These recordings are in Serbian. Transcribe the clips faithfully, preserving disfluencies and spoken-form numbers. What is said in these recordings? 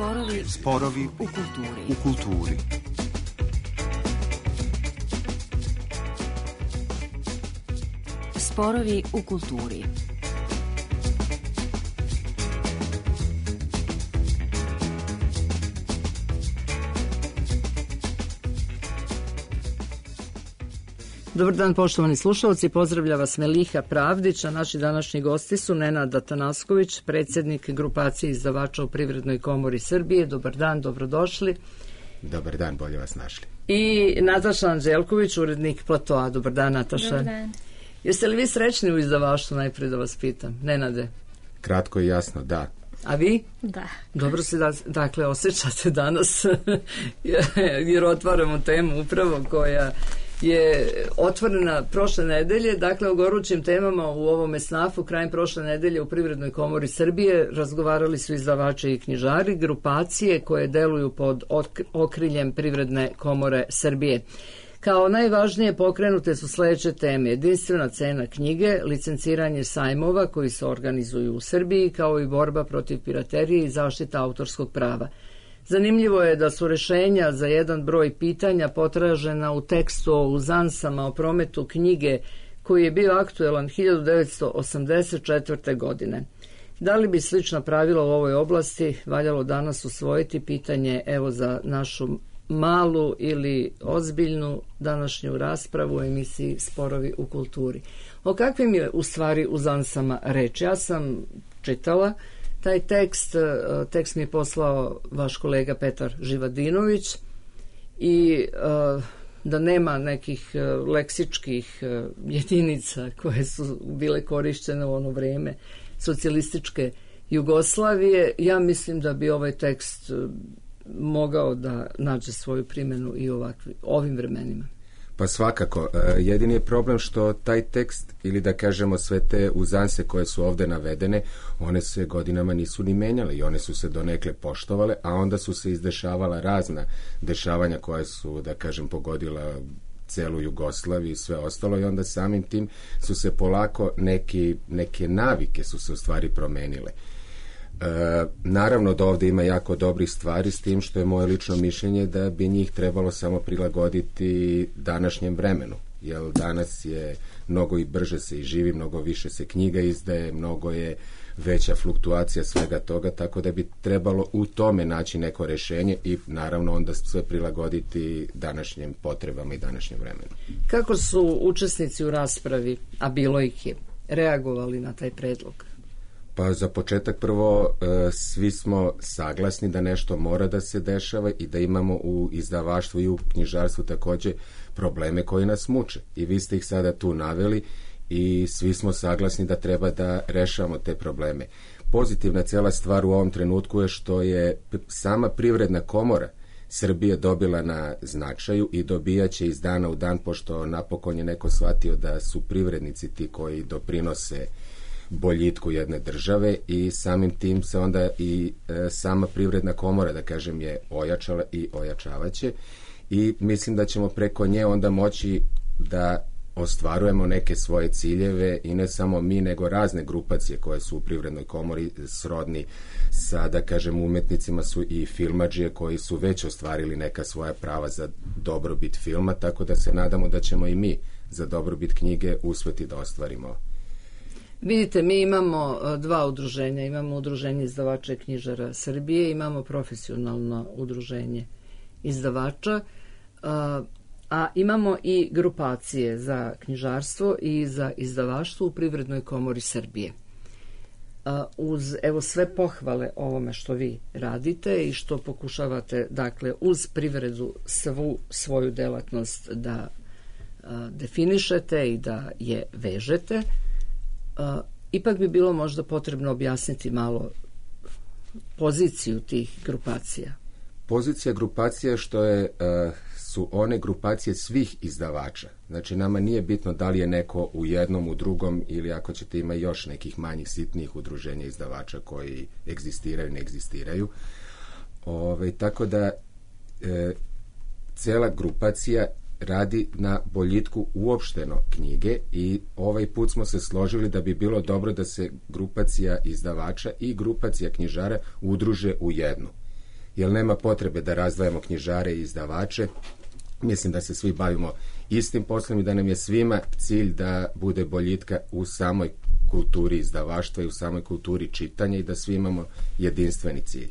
Sporovi, Sporovi u kulturi. U kulturi. Sporovi u kulturi. Dobar dan, poštovani slušalci, pozdravlja vas Meliha Pravdić, a naši današnji gosti su Nenad Atanasković, predsjednik grupacije izdavača u Privrednoj komori Srbije. Dobar dan, dobrodošli. Dobar dan, bolje vas našli. I Nataša Anđelković, urednik Platoa. Dobar dan, Nataša. Dobar dan. Jeste li vi srećni u izdavaštvu, najprije da vas pitam? Nenade? Kratko i jasno, da. A vi? Da. Dobro se da, dakle osjećate danas jer otvaramo temu upravo koja je otvorena prošle nedelje, dakle o gorućim temama u ovome snafu. Krajem prošle nedelje u Privrednoj komori Srbije razgovarali su izdavači i knjižari, grupacije koje deluju pod okriljem Privredne komore Srbije. Kao najvažnije pokrenute su sljedeće teme: jedinstvena cena knjige, licenciranje sajmova koji se organizuju u Srbiji, kao i borba protiv piraterije i zaštita autorskog prava. Zanimljivo je da su rješenja za jedan broj pitanja potražena u tekstu o uzansama o prometu knjige koji je bio aktuelan hiljadu devetsto osamdeset četvrte. godine. Da li bi slična pravila u ovoj oblasti valjalo danas usvojiti? Pitanje evo za našu malu ili ozbiljnu današnju raspravu u emisiji Sporovi u kulturi. O kakvim je u stvari uzansama reč? Ja sam čitala taj tekst, tekst mi je poslao vaš kolega Petar Živadinović i da nema nekih leksičkih jedinica koje su bile korištene u ono vrijeme socijalističke Jugoslavije, ja mislim da bi ovaj tekst mogao da nađe svoju primjenu i ovakvi, ovim vremenima. Pa svakako, jedini je problem što taj tekst, ili da kažemo sve te uzanse koje su ovdje navedene, one se godinama nisu ni menjale i one su se donekle poštovale, a onda su se izdešavala razna dešavanja koja su, da kažem, pogodila celu Jugoslaviju i sve ostalo, i onda samim tim su se polako neki, neke navike su se u stvari promenile. E, naravno da ovdje ima jako dobrih stvari, s tim što je moje lično mišljenje da bi njih trebalo samo prilagoditi današnjem vremenu, jer danas je mnogo i brže se i živi, mnogo više se knjiga izdaje, mnogo je veća fluktuacija svega toga, tako da bi trebalo u tome naći neko rješenje i naravno onda sve prilagoditi današnjim potrebama i današnjem vremenu. Kako su učesnici u raspravi, a bilo ih je, reagovali na taj predlog? Pa za početak prvo e, svi smo saglasni da nešto mora da se dešava i da imamo u izdavaštvu i u knjižarstvu također probleme koji nas muče. I vi ste ih sada tu naveli i svi smo saglasni da treba da rešavamo te probleme. Pozitivna cijela stvar u ovom trenutku je što je sama Privredna komora Srbije dobila na značaju i dobijaće iz dana u dan, pošto napokon je neko shvatio da su privrednici ti koji doprinose boljitku jedne države, i samim tim se onda i e, sama Privredna komora, da kažem, je ojačala i ojačavaće, i mislim da ćemo preko nje onda moći da ostvarujemo neke svoje ciljeve, i ne samo mi, nego razne grupacije koje su u Privrednoj komori srodni sa, da kažem, umetnicima su i filmadžije koji su već ostvarili neka svoja prava za dobrobit filma, tako da se nadamo da ćemo i mi za dobrobit knjige uspjeti da ostvarimo. Vidite, mi imamo dva udruženja. Imamo udruženje izdavača i knjižara Srbije, imamo profesionalno udruženje izdavača, a, a imamo i grupacije za knjižarstvo i za izdavaštvo u Privrednoj komori Srbije. A, uz evo sve pohvale ovome što vi radite i što pokušavate, dakle, uz privredu svu svoju delatnost da a, definišete i da je vežete, Uh, ipak bi bilo možda potrebno objasniti malo poziciju tih grupacija. Pozicija grupacija što je, uh, su one grupacije svih izdavača. Znači nama nije bitno da li je neko u jednom, u drugom, ili ako ćete ima još nekih manjih sitnijih udruženja izdavača koji egzistiraju, ne egzistiraju. Ove, tako da e, cela grupacija radi na boljitku uopšteno knjige, i ovaj put smo se složili da bi bilo dobro da se grupacija izdavača i grupacija knjižara udruže u jednu. jer nema potrebe da razdvajamo knjižare i izdavače. Mislim da se svi bavimo istim poslom i da nam je svima cilj da bude boljitka u samoj kulturi izdavaštva i u samoj kulturi čitanja i da svi imamo jedinstveni cilj.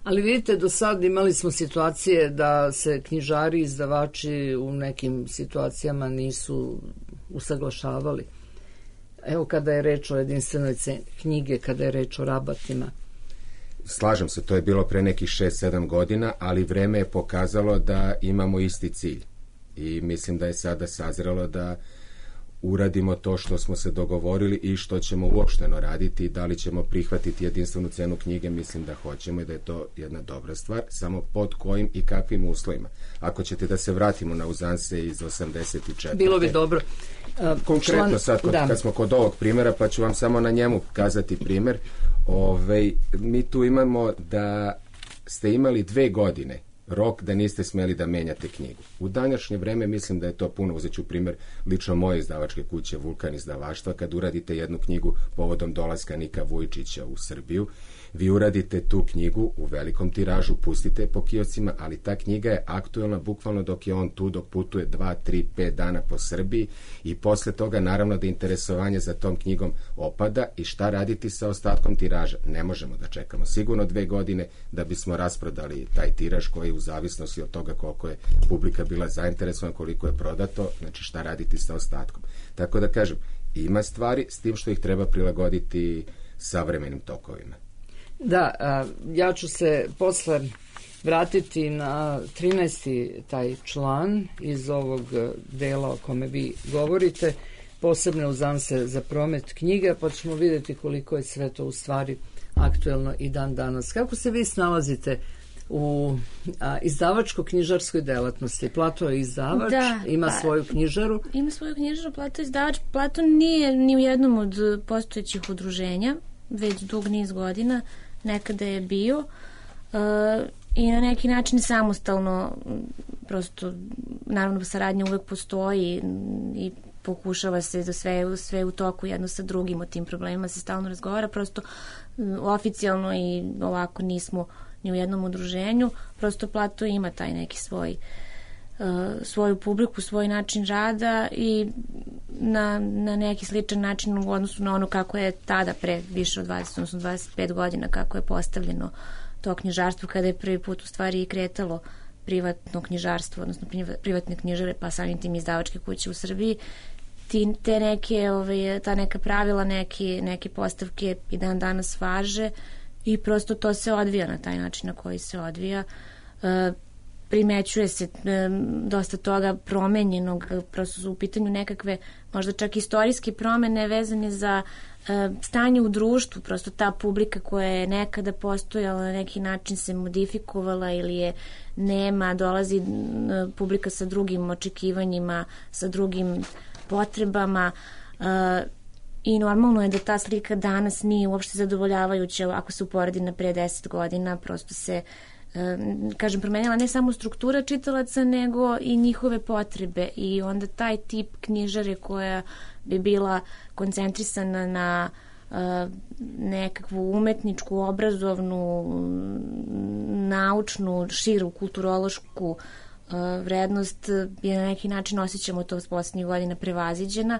Ali vidite, do sad imali smo situacije da se knjižari i izdavači u nekim situacijama nisu usaglašavali. Evo kada je reč o jedinstvenoj ceni knjige, kada je reč o rabatima. Slažem se, to je bilo pre nekih šest sedam godina, ali vreme je pokazalo da imamo isti cilj. I mislim da je sada sazrelo da uradimo to što smo se dogovorili i što ćemo uopšteno raditi. Da li ćemo prihvatiti jedinstvenu cenu knjige, mislim da hoćemo i da je to jedna dobra stvar, samo pod kojim i kakvim uslovima. Ako ćete da se vratimo na uzanse iz osamdeset četvrte. Bilo bi dobro. Uh, Konkretno član, sad, kod, kad smo kod ovog primjera, pa ću vam samo na njemu kazati primjer. Ove, mi tu imamo da ste imali dve godine rok da niste smeli da menjate knjigu. U današnje vreme mislim da je to puno. Uzet ću primjer lično moje izdavačke kuće Vulkan izdavaštva. Kad uradite jednu knjigu povodom dolaska Nika Vujičića u Srbiju, vi uradite tu knjigu u velikom tiražu, pustite po kioscima, ali ta knjiga je aktuelna bukvalno dok je on tu, dok putuje dva, tri, pet dana po Srbiji i posle toga naravno da interesovanje za tom knjigom opada i šta raditi sa ostatkom tiraža. Ne možemo da čekamo sigurno dve godine da bismo rasprodali taj tiraž koji u zavisnosti od toga koliko je publika bila zainteresovana, koliko je prodato, znači šta raditi sa ostatkom. Tako da kažem, ima stvari s tim što ih treba prilagoditi savremenim tokovima. Da, a, ja ću se posle vratiti na trinaesti taj član iz ovog dela o kome vi govorite, posebne uzanse za promet knjiga, pa ćemo vidjeti koliko je sve to u stvari aktuelno i dan danas. Kako se vi snalazite u a, izdavačko-knjižarskoj delatnosti? Plato je izdavač, da, ima pa, svoju knjižaru. Ima svoju knjižaru, Plato je izdavač. Plato nije ni u jednom od postojećih udruženja, već dug niz godina, nekada je bio uh, i na neki način samostalno, prosto, naravno saradnja uvek postoji i pokušava se da sve, sve u toku jedno sa drugim o tim problemima se stalno razgovara, prosto oficijalno i ovako nismo ni u jednom udruženju, prosto Plato ima taj neki svoj uh, svoju publiku, svoj način rada i na, na neki sličan način u odnosu na ono kako je tada pre više od dvadeset, odnosno dvadeset pet godina kako je postavljeno to knjižarstvo kada je prvi put u stvari i kretalo privatno knjižarstvo, odnosno privatne knjižare, pa samim tim izdavačke kuće u Srbiji. Ti, te neke, ove, ta neka pravila, neke, neke postavke i dan danas važe i prosto to se odvija na taj način na koji se odvija. E, primećuje se e, dosta toga promenjenog, prosto su u pitanju nekakve možda čak istorijske promene vezane za e, stanje u društvu, prosto ta publika koja je nekada postojala na neki način se modifikovala ili je nema, dolazi e, publika sa drugim očekivanjima, sa drugim potrebama e, i normalno je da ta slika danas nije uopšte zadovoljavajuća ako se uporedi na pre deset godina, prosto se kažem, promenila ne samo struktura čitalaca, nego i njihove potrebe i onda taj tip knjižare koja bi bila koncentrisana na uh, nekakvu umetničku, obrazovnu, naučnu, širu, kulturološku uh, vrednost je na neki način, osjećamo to s posljednjih godina, prevaziđena,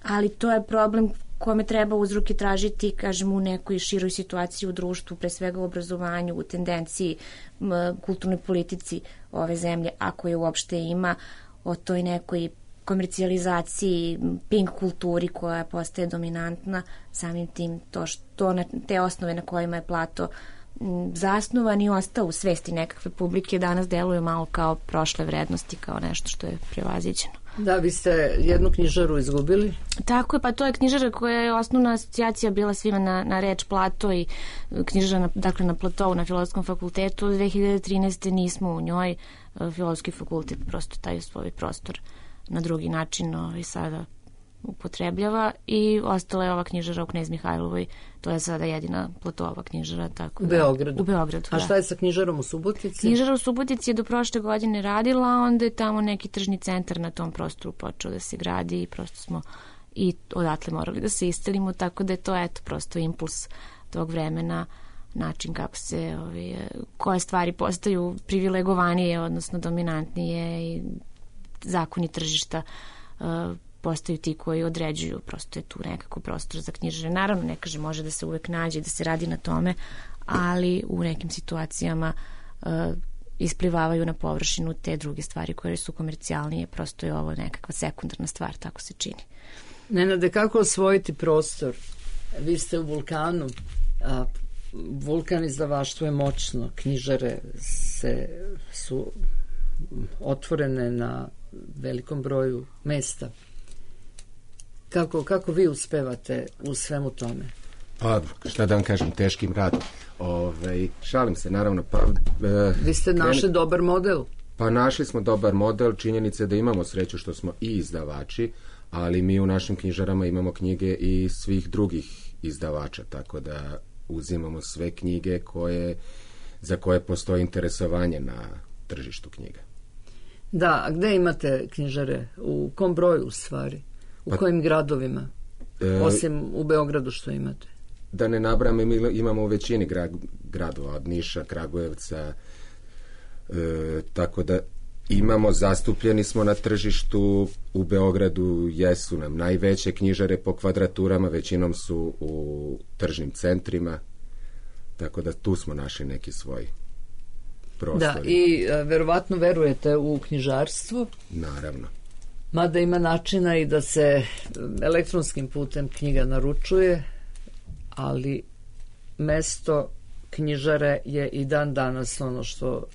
ali to je problem kome treba uzroke tražiti, kažem, u nekoj široj situaciji u društvu, pre svega u obrazovanju, u tendenciji, m, kulturnoj politici ove zemlje, ako je uopšte ima, o toj nekoj komercijalizaciji, pink kulturi koja postaje dominantna, samim tim to što na, te osnove na kojima je Plato m, zasnovan i ostao u svesti nekakve publike danas deluju malo kao prošle vrednosti, kao nešto što je prevaziđeno. Da, vi ste jednu knjižaru izgubili? Tako je, pa to je knjižara koja je osnovna asocijacija bila svima na, na reč Plato i knjižara na, dakle na Platovu na Filozofskom fakultetu. Od dve hiljade trinaeste nismo u njoj, Filozofski fakultet prosto taj svoj prostor na drugi način ovaj, sada upotrebljava i ostala je ova knjižara u Knez Mihajlovoj, to je sada jedina Platova knjižara. Tako u da, Beogradu? U Beogradu, A šta je sa knjižarom u Subotici? Knjižara u Subotici je do prošle godine radila, onda je tamo neki tržni centar na tom prostoru počeo da se gradi i prosto smo i odatle morali da se istelimo, tako da je to eto prosto impuls tog vremena način kako se ove, koje stvari postaju privilegovanije, odnosno dominantnije i zakoni tržišta uh, postaju ti koji određuju, prosto je tu nekako prostor za knjižare. Naravno, ne kaže, može da se uvek nađe i da se radi na tome, ali u nekim situacijama uh, isplivavaju na površinu te druge stvari koje su komercijalnije, prosto je ovo nekakva sekundarna stvar, tako se čini. Nenade, kako osvojiti prostor? Vi ste u Vulkanu, a Vulkan izdavaštvo je moćno, knjižare se, su otvorene na velikom broju mesta. Kako, kako vi uspevate u svemu tome? Pa, šta da vam kažem, teškim radom. Ove, šalim se, naravno. Pa, e, vi ste našli kren... dobar model? Pa našli smo dobar model, činjenica je da imamo sreću što smo i izdavači, ali mi u našim knjižarama imamo knjige i svih drugih izdavača, tako da uzimamo sve knjige koje, za koje postoji interesovanje na tržištu knjiga. Da, a gde imate knjižare? U kom broju u stvari? U pa, kojim gradovima? E, Osim u Beogradu što imate? Da ne nabrame, mi imamo u većini gra, gradova, od Niša, Kragujevca, e, tako da imamo, zastupljeni smo na tržištu. U Beogradu jesu nam najveće knjižare po kvadraturama, većinom su u tržnim centrima, tako da tu smo našli neki svoj prostor. Da, i a, verovatno verujete u knjižarstvo? Naravno. Mada ima načina i da se elektronskim putem knjiga naručuje, ali mesto knjižare je i dan danas ono što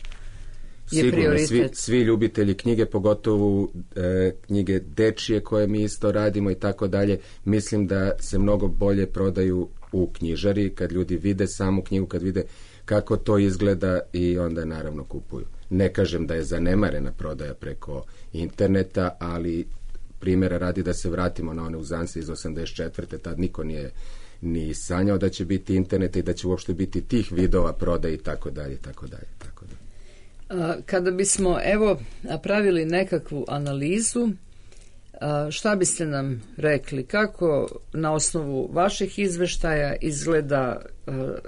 je sigurno, prioritet. Svi, svi ljubitelji knjige, pogotovo e, knjige dečije koje mi isto radimo i tako dalje, mislim da se mnogo bolje prodaju u knjižari, kad ljudi vide samu knjigu, kad vide kako to izgleda i onda naravno kupuju. Ne kažem da je zanemarena prodaja preko interneta, ali primjera radi da se vratimo na one uzance iz osamdeset četvrte Tad niko nije ni sanjao da će biti internet i da će uopšte biti tih vidova prodaje i tako dalje, tako dalje, tako dalje. Kada bismo evo napravili nekakvu analizu, šta biste nam rekli? Kako na osnovu vaših izveštaja izgleda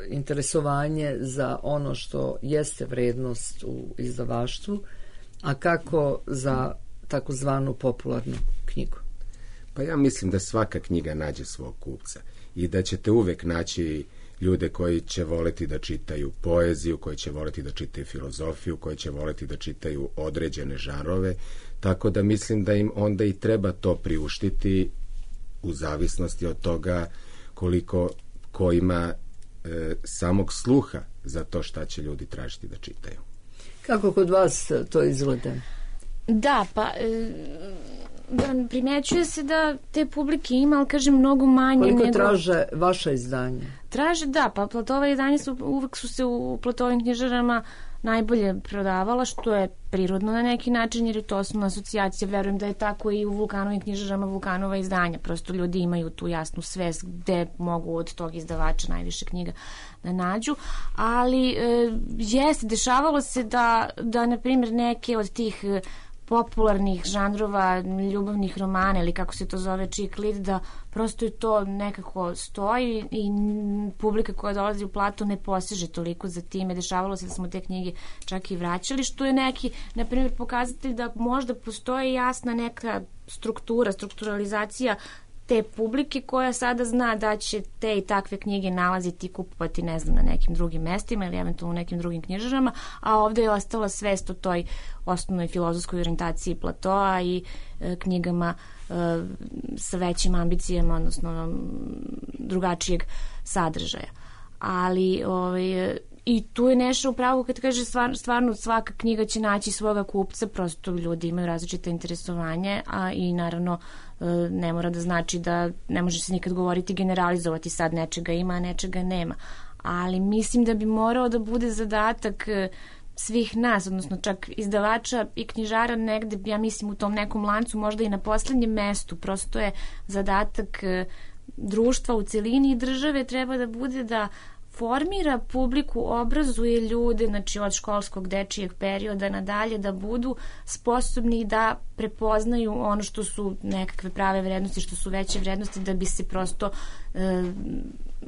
interesovanje za ono što jeste vrednost u izdavaštvu, a kako za takozvanu popularnu knjigu? Pa ja mislim da svaka knjiga nađe svog kupca i da ćete uvek naći ljude koji će voleti da čitaju poeziju, koji će voleti da čitaju filozofiju, koji će voleti da čitaju određene žanrove, tako da mislim da im onda i treba to priuštiti u zavisnosti od toga koliko ko ima e, samog sluha za to šta će ljudi tražiti da čitaju. Kako kod vas to izgleda? Da, pa e, da, primjećuje se da te publike ima, ali kažem mnogo manje. Koliko nego... traže vaša izdanja? Traže, da, pa Platova izdanja su, uvek su se u Platovim knjižarama najbolje prodavala, što je prirodno na neki način, jer je to osnovna asocijacija. Verujem da je tako i u Vulkanovim knjižarama Vulkanova izdanja. Prosto ljudi imaju tu jasnu svest gde mogu od tog izdavača najviše knjiga da nađu. Ali e, jeste, dešavalo se da, da na primjer, neke od tih popularnih žanrova, ljubavnih romana ili kako se to zove chick lit, da prosto je to nekako stoji i publika koja dolazi u Platu ne poseže toliko za time. Dešavalo se da smo te knjige čak i vraćali, što je neki, na primjer, pokazatelj da možda postoji jasna neka struktura, strukturalizacija te publike koja sada zna da će te i takve knjige nalaziti i kupovati, ne znam, na nekim drugim mestima ili eventualno u nekim drugim knjižarama, a ovde je ostala svest o toj osnovnoj filozofskoj orijentaciji Platoa i e, knjigama e, sa većim ambicijama, odnosno drugačijeg sadržaja. Ali ovaj, i tu je nešto upravo kad kaže stvar, stvarno svaka knjiga će naći svoga kupca, prosto ljudi imaju različite interesovanje, a i naravno ne mora da znači da ne može se nikad govoriti generalizovati, sad nečega ima, a nečega nema. Ali mislim da bi morao da bude zadatak svih nas, odnosno čak izdavača i knjižara negde, ja mislim u tom nekom lancu, možda i na poslednjem mestu. Prosto je zadatak društva u celini i države treba da bude da formira publiku, obrazuje ljude, znači od školskog dečijeg perioda nadalje, da budu sposobni da prepoznaju ono što su nekakve prave vrednosti, što su veće vrednosti, da bi se prosto e,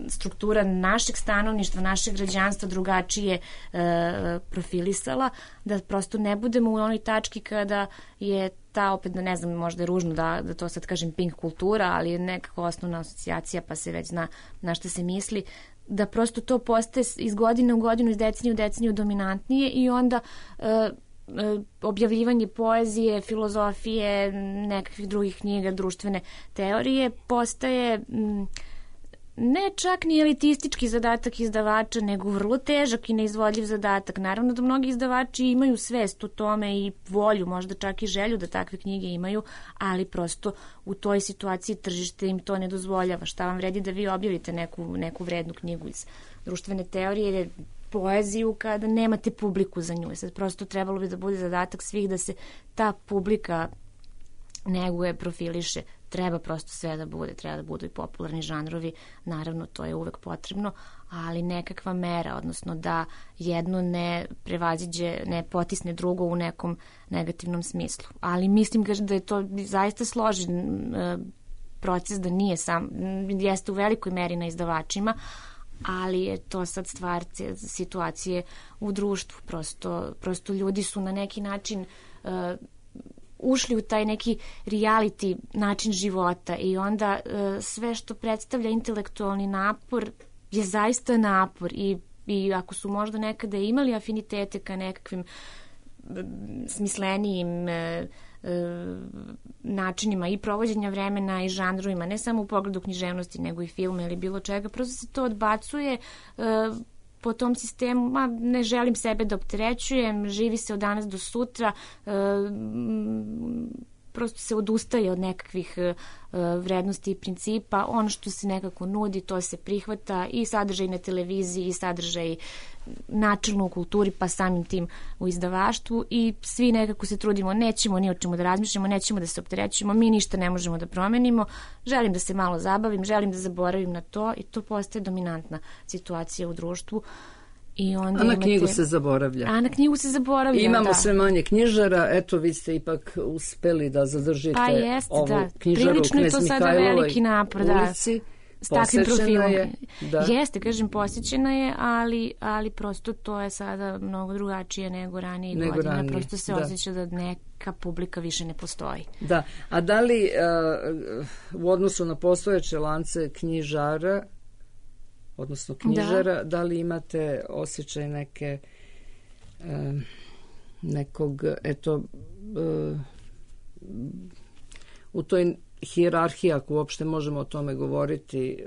struktura našeg stanovništva, našeg građanstva drugačije e, profilisala, da prosto ne budemo u onoj tački kada je ta, opet ne znam, možda je ružno da, da to sad kažem pink kultura, ali je nekako osnovna asocijacija pa se već zna na što se misli, da prosto to postaje iz godine u godinu, iz decenije u deceniju dominantnije i onda e, e, objavljivanje poezije, filozofije, nekakvih drugih knjiga, društvene teorije postaje m, ne čak ni elitistički zadatak izdavača, nego vrlo težak i neizvodljiv zadatak. Naravno da mnogi izdavači imaju svest o tome i volju, možda čak i želju da takve knjige imaju, ali prosto u toj situaciji tržište im to ne dozvoljava. Šta vam vredi da vi objavite neku, neku vrednu knjigu iz društvene teorije ili poeziju kada nemate publiku za nju. Sad prosto trebalo bi da bude zadatak svih da se ta publika neguje, profiliše, treba prosto sve da bude, treba da budu i popularni žanrovi, naravno to je uvek potrebno, ali nekakva mera, odnosno da jedno ne prevaziđe, ne potisne drugo u nekom negativnom smislu. Ali mislim da je to zaista složen proces, da nije sam, jeste u velikoj meri na izdavačima, ali je to sad stvar situacije u društvu. Prosto, prosto ljudi su na neki način uh, ušli u taj neki reality način života i onda uh, sve što predstavlja intelektualni napor je zaista napor i, i ako su možda nekada imali afinitete ka nekakvim smislenijim uh, uh, načinima i provođenja vremena i žanrovima, ne samo u pogledu književnosti, nego i filma ili bilo čega, prosto se to odbacuje uh, po tom sistemu, ma ne želim sebe da opterećujem, živi se od danas do sutra, e, prosto se odustaje od nekakvih e, vrednosti i principa, ono što se nekako nudi, to se prihvata i sadržaj na televiziji i sadržaj načelno u kulturi, pa samim tim u izdavaštvu i svi nekako se trudimo, nećemo ni o čemu da razmišljamo, nećemo da se opterećujemo, mi ništa ne možemo da promenimo, želim da se malo zabavim, želim da zaboravim na to i to postaje dominantna situacija u društvu. I onda a na imate... knjigu se zaboravlja. A na knjigu se zaboravlja, imamo da. sve manje knjižara, eto vi ste ipak uspeli da zadržite pa jest, ovu da. knjižaru Prilično Knez je to sada Mihajlovoj veliki napor, da. ulici. S takvim profilom. Je, da. Jeste, kažem, posjećena je, ali, ali prosto to je sada mnogo drugačije nego ranije nego godina. ranije. Prosto se da. osjeća da neka publika više ne postoji. Da, a da li uh, u odnosu na postojeće lance knjižara, odnosno knjižara, da, da li imate osjećaj neke uh, nekog, eto, uh, u toj hijerarhiji, ako uopšte možemo o tome govoriti,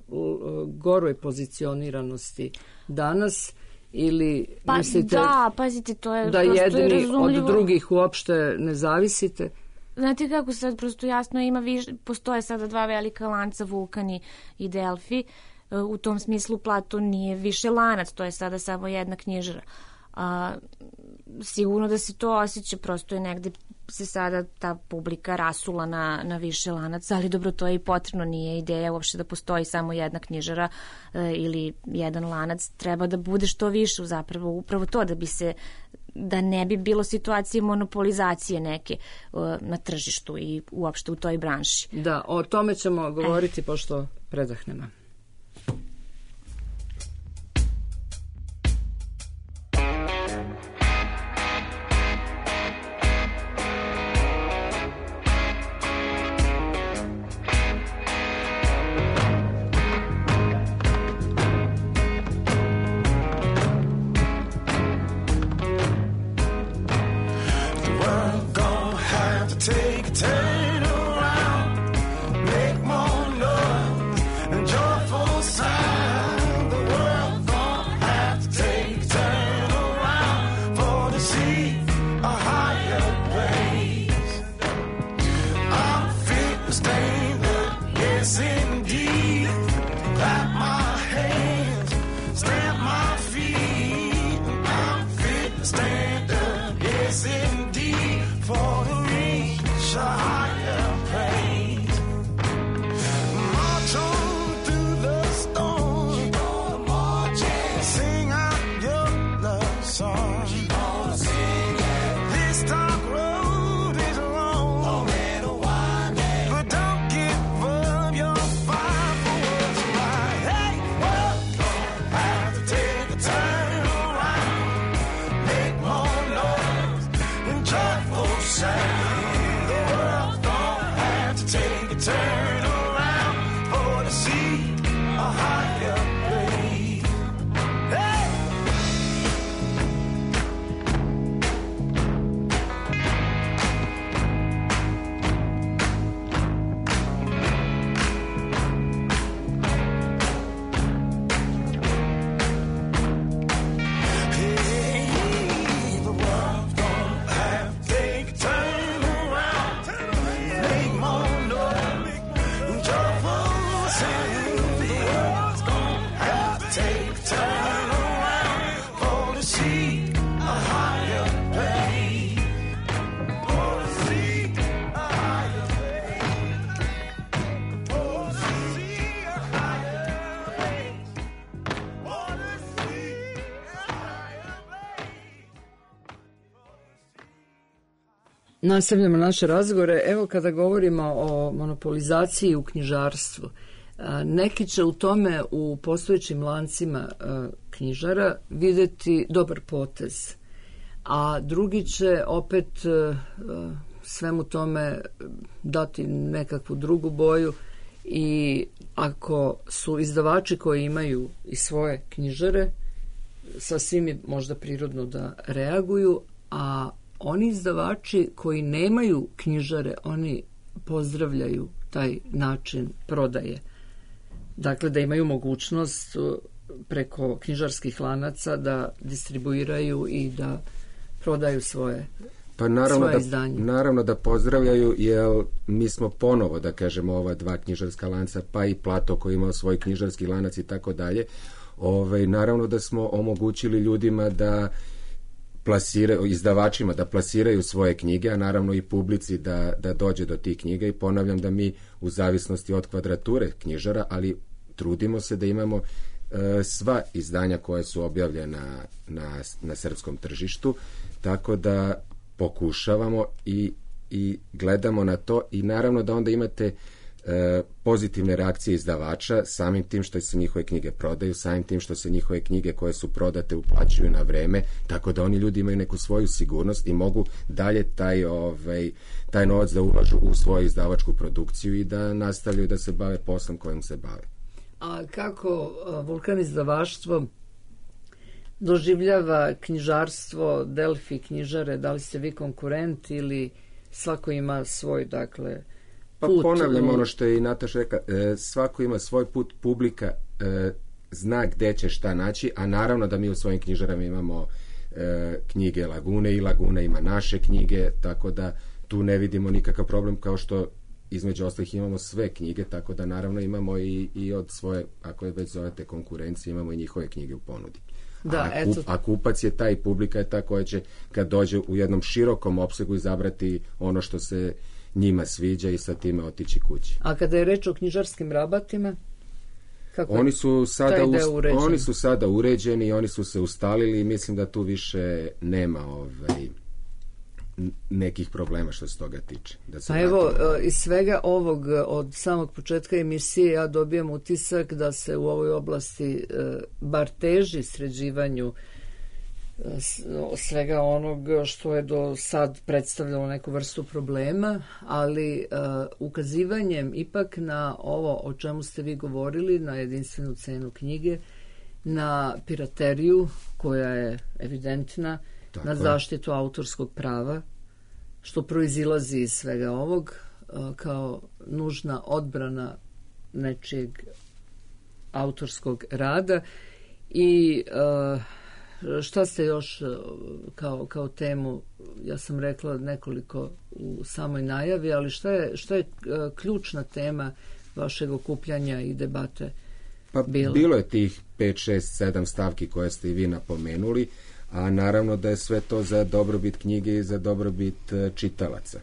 uh, goroj pozicioniranosti danas ili pa, mislite da, pazite, to je da prosto jedni razumljivo. od drugih uopšte ne zavisite? Znate kako sad prosto jasno ima, viš, postoje sada dva velika lanca, Vulkan i Delfi, u tom smislu Platon nije više lanac, to je sada samo jedna knjižara. A, sigurno da se to osjeća, prosto je negde se sada ta publika rasula na, na više lanaca, ali dobro, to je i potrebno, nije ideja uopšte da postoji samo jedna knjižara e, ili jedan lanac, treba da bude što više, zapravo upravo to, da bi se da ne bi bilo situacije monopolizacije neke uh, na tržištu i uopšte u toj branši. Da, o tome ćemo govoriti eh. pošto predahnemo. March on through the storm. turn around for to see a higher place. Hey! Nastavljamo naše razgovore. Evo, kada govorimo o monopolizaciji u knjižarstvu, neki će u tome u postojećim lancima knjižara vidjeti dobar potez, a drugi će opet svemu tome dati nekakvu drugu boju i ako su izdavači koji imaju i svoje knjižare, sasvim je možda prirodno da reaguju, a oni izdavači koji nemaju knjižare, oni pozdravljaju taj način prodaje. Dakle, da imaju mogućnost preko knjižarskih lanaca da distribuiraju i da prodaju svoje, pa naravno svoje da, izdanje. Naravno da pozdravljaju, jer mi smo ponovo, da kažemo, ova dva knjižarska lanca, pa i Plato koji imao svoj knjižarski lanac i tako dalje. Ovaj, naravno da smo omogućili ljudima da plasiraju, izdavačima da plasiraju svoje knjige, a naravno i publici da, da dođe do tih knjiga, i ponavljam da mi u zavisnosti od kvadrature knjižara, ali trudimo se da imamo e, sva izdanja koja su objavljena na, na srpskom tržištu, tako da pokušavamo i, i gledamo na to, i naravno da onda imate e, pozitivne reakcije izdavača samim tim što se njihove knjige prodaju, samim tim što se njihove knjige koje su prodate uplaćuju na vreme, tako da oni ljudi imaju neku svoju sigurnost i mogu dalje taj, ovaj, taj novac da ulažu u svoju izdavačku produkciju i da nastavljaju da se bave poslom kojim se bave. A kako Vulkan izdavaštvo doživljava knjižarstvo Delfi knjižare? Da li ste vi konkurent ili svako ima svoj, dakle, pa put? Ponavljam ono što je i Nataša rekla, e, svako ima svoj put, publika e, zna gde će šta naći, a naravno da mi u svojim knjižarama imamo e, knjige Lagune i Laguna ima naše knjige, tako da tu ne vidimo nikakav problem, kao što između ostalih imamo sve knjige, tako da naravno imamo i, i od svoje, ako je već zovete konkurencije, imamo i njihove knjige u ponudi. Da, a, kup, eto. a kupac je taj, publika je ta koja će kad dođe u jednom širokom opsegu izabrati ono što se njima sviđa i sa time otići kući. A kada je reč o knjižarskim rabatima, kako oni su sada us, oni su sada uređeni, oni su se ustalili i mislim da tu više nema ovaj nekih problema što se toga tiče. Da se pa evo, iz svega ovog, od samog početka emisije, ja dobijam utisak da se u ovoj oblasti bar teži sređivanju svega onog što je do sad predstavljalo neku vrstu problema, ali uh, ukazivanjem ipak na ovo o čemu ste vi govorili, na jedinstvenu cenu knjige, na pirateriju koja je evidentna, tako, na zaštitu autorskog prava, što proizilazi iz svega ovog uh, kao nužna odbrana nečijeg autorskog rada. I uh, šta ste još kao, kao temu, ja sam rekla nekoliko u samoj najavi, ali šta je, šta je ključna tema vašeg okupljanja i debate? Pa bilo, bilo je tih pet, šest, sedam stavki koje ste i vi napomenuli, a naravno da je sve to za dobrobit knjige i za dobrobit čitalaca.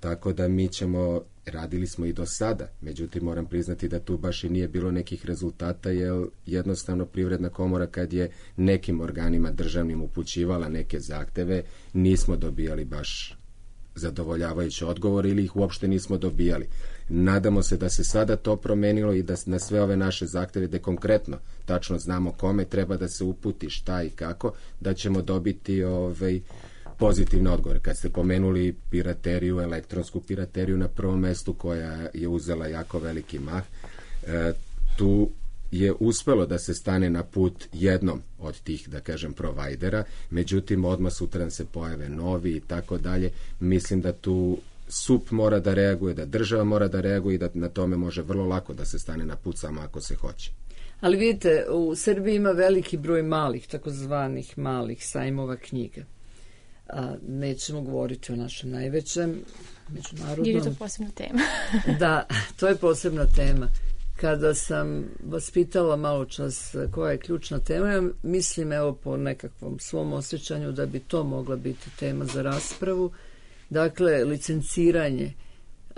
Tako da mi ćemo, radili smo i do sada, međutim moram priznati da tu baš i nije bilo nekih rezultata, jer jednostavno Privredna komora kad je nekim organima državnim upućivala neke zahteve, nismo dobijali baš zadovoljavajući odgovor ili ih uopšte nismo dobijali. Nadamo se da se sada to promenilo i da na sve ove naše zahteve, da konkretno tačno znamo kome treba da se uputi, šta i kako, da ćemo dobiti ovaj, pozitivne odgovore. Kad ste pomenuli pirateriju, elektronsku pirateriju na prvom mestu koja je uzela jako veliki mah, e, tu je uspelo da se stane na put jednom od tih, da kažem, provajdera, međutim odmah sutra se pojave novi i tako dalje. Mislim da tu S U P mora da reaguje, da država mora da reaguje i da na tome može vrlo lako da se stane na put samo ako se hoće. Ali vidite, u Srbiji ima veliki broj malih, takozvanih malih sajmova knjiga. A, nećemo govoriti o našem najvećem međunarodnom. Jer je to posebna tema. Da, to je posebna tema. Kada sam vas pitala malo čas koja je ključna tema, ja mislim evo po nekakvom svom osjećanju da bi to mogla biti tema za raspravu. Dakle, licenciranje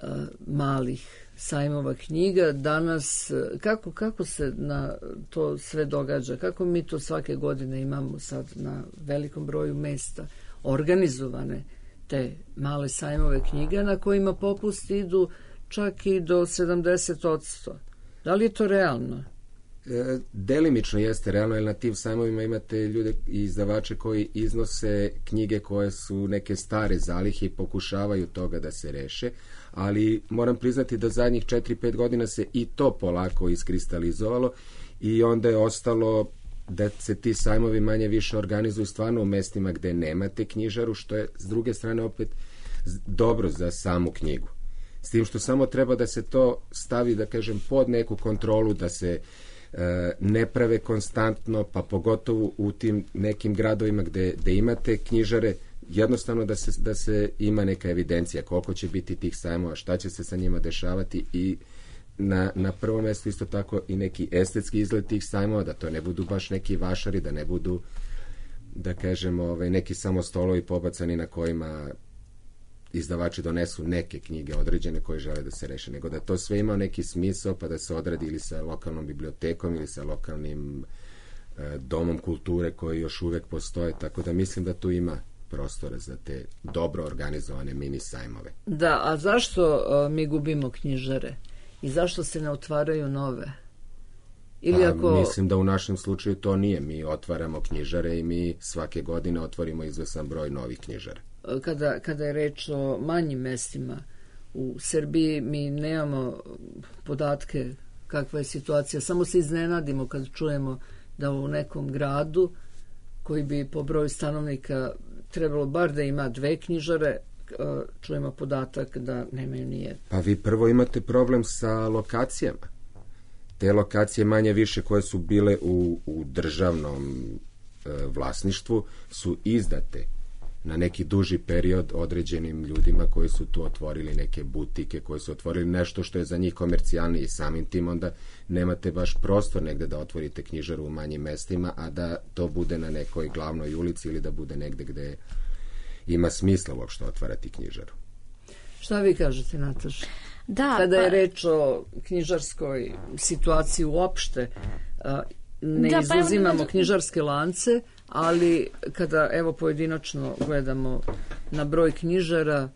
uh, malih sajmova knjiga danas, kako, kako se na to sve događa, kako mi to svake godine imamo sad na velikom broju mesta organizovane te male sajmove knjiga na kojima popusti idu čak i do sedamdeset posto. Da li je to realno? E, delimično jeste realno, jer na tim sajmovima imate ljude i izdavače koji iznose knjige koje su neke stare zalihe i pokušavaju toga da se reše, ali moram priznati da zadnjih četiri pet godina se i to polako iskristalizovalo i onda je ostalo da se ti sajmovi manje više organizuju stvarno u mestima gde nemate knjižaru, što je s druge strane opet dobro za samu knjigu. S tim što samo treba da se to stavi, da kažem, pod neku kontrolu, da se e, ne prave konstantno, pa pogotovo u tim nekim gradovima gde, gde imate knjižare, jednostavno da se, da se ima neka evidencija koliko će biti tih sajmova, šta će se sa njima dešavati i na, na prvom mjestu isto tako i neki estetski izgled tih sajmova, da to ne budu baš neki vašari, da ne budu, da kažemo, ovaj, neki samo stolovi pobacani na kojima izdavači donesu neke knjige određene koje žele da se reše, nego da to sve ima neki smisao pa da se odradi ili sa lokalnom bibliotekom ili sa lokalnim e, domom kulture koji još uvek postoje, tako da mislim da tu ima prostora za te dobro organizovane mini sajmove. Da, a zašto uh, mi gubimo knjižare i zašto se ne otvaraju nove? Ili pa, ako... Mislim da u našem slučaju to nije. Mi otvaramo knjižare i mi svake godine otvorimo izvesan broj novih knjižara. Kada, kada je reč o manjim mestima u Srbiji, mi nemamo podatke kakva je situacija. Samo se iznenadimo kad čujemo da u nekom gradu koji bi po broju stanovnika trebalo bar da ima dve knjižare, čujemo podatak da nemaju nijedno. Pa vi prvo imate problem sa lokacijama. Te lokacije manje više koje su bile u, u državnom e, vlasništvu su izdate na neki duži period određenim ljudima koji su tu otvorili neke butike, koji su otvorili nešto što je za njih komercijalnije i samim tim onda nemate baš prostor negde da otvorite knjižaru u manjim mestima, a da to bude na nekoj glavnoj ulici ili da bude negde gde ima smisla uopšte otvarati knjižaru. Šta vi kažete, Nataša? Da, Kada je pa... reč o knjižarskoj situaciji uopšte, ne da, izuzimamo pa... knjižarske lance, ali kada evo pojedinačno gledamo na broj knjižara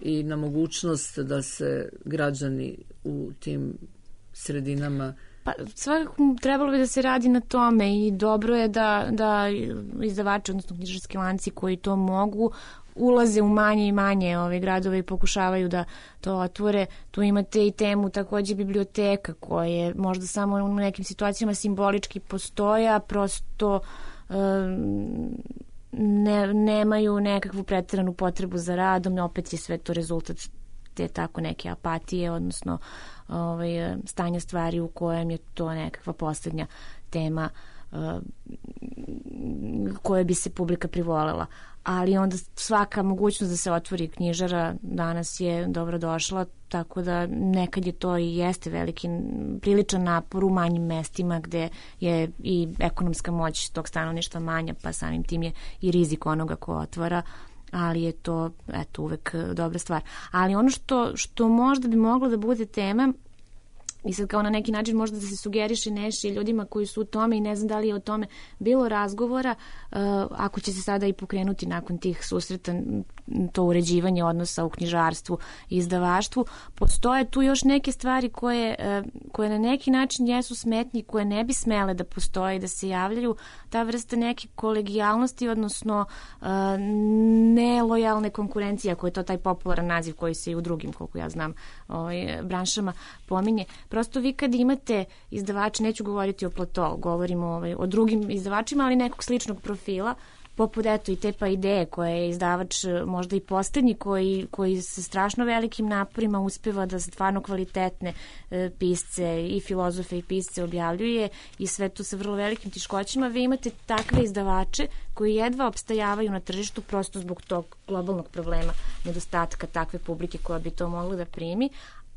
i na mogućnost da se građani u tim sredinama... Pa svakako trebalo bi da se radi na tome i dobro je da, da izdavači, odnosno knjižarski lanci koji to mogu, ulaze u manje i manje ove gradove i pokušavaju da to otvore. Tu imate i temu takođe biblioteka koje možda samo u nekim situacijama simbolički postoje, a prosto ne, nemaju nekakvu preteranu potrebu za radom, opet je sve to rezultat te tako neke apatije, odnosno ovaj, stanja stvari u kojem je to nekakva poslednja tema uh, koje bi se publika privolela. Ali onda svaka mogućnost da se otvori knjižara danas je dobro došla, tako da nekad je to i jeste veliki priličan napor u manjim mestima gde je i ekonomska moć tog stanovništva manja, pa samim tim je i rizik onoga ko otvara, ali je to eto uvek dobra stvar. Ali ono što, što možda bi moglo da bude tema i sad kao na neki način možda da se sugeriše neši ljudima koji su u tome i ne znam da li je o tome bilo razgovora, uh, ako će se sada i pokrenuti nakon tih susreta to uređivanje odnosa u knjižarstvu i izdavaštvu, postoje tu još neke stvari koje, uh, koje na neki način jesu smetnji, koje ne bi smele da postoje i da se javljaju, ta vrsta neke kolegijalnosti, odnosno uh, nelojalne konkurencije, ako je to taj popularan naziv koji se i u drugim, koliko ja znam, ovaj, branšama pominje. Prosto vi kad imate izdavače, neću govoriti o Platou, govorimo ovaj, o drugim izdavačima, ali nekog sličnog profila, poput eto i te pa ideje koje je izdavač možda i posljednji koji, koji sa strašno velikim naporima uspeva da stvarno kvalitetne e, pisce i filozofe i pisce objavljuje i sve to sa vrlo velikim teškoćama. Vi imate takve izdavače koji jedva opstajavaju na tržištu prosto zbog tog globalnog problema nedostatka takve publike koja bi to mogla da primi.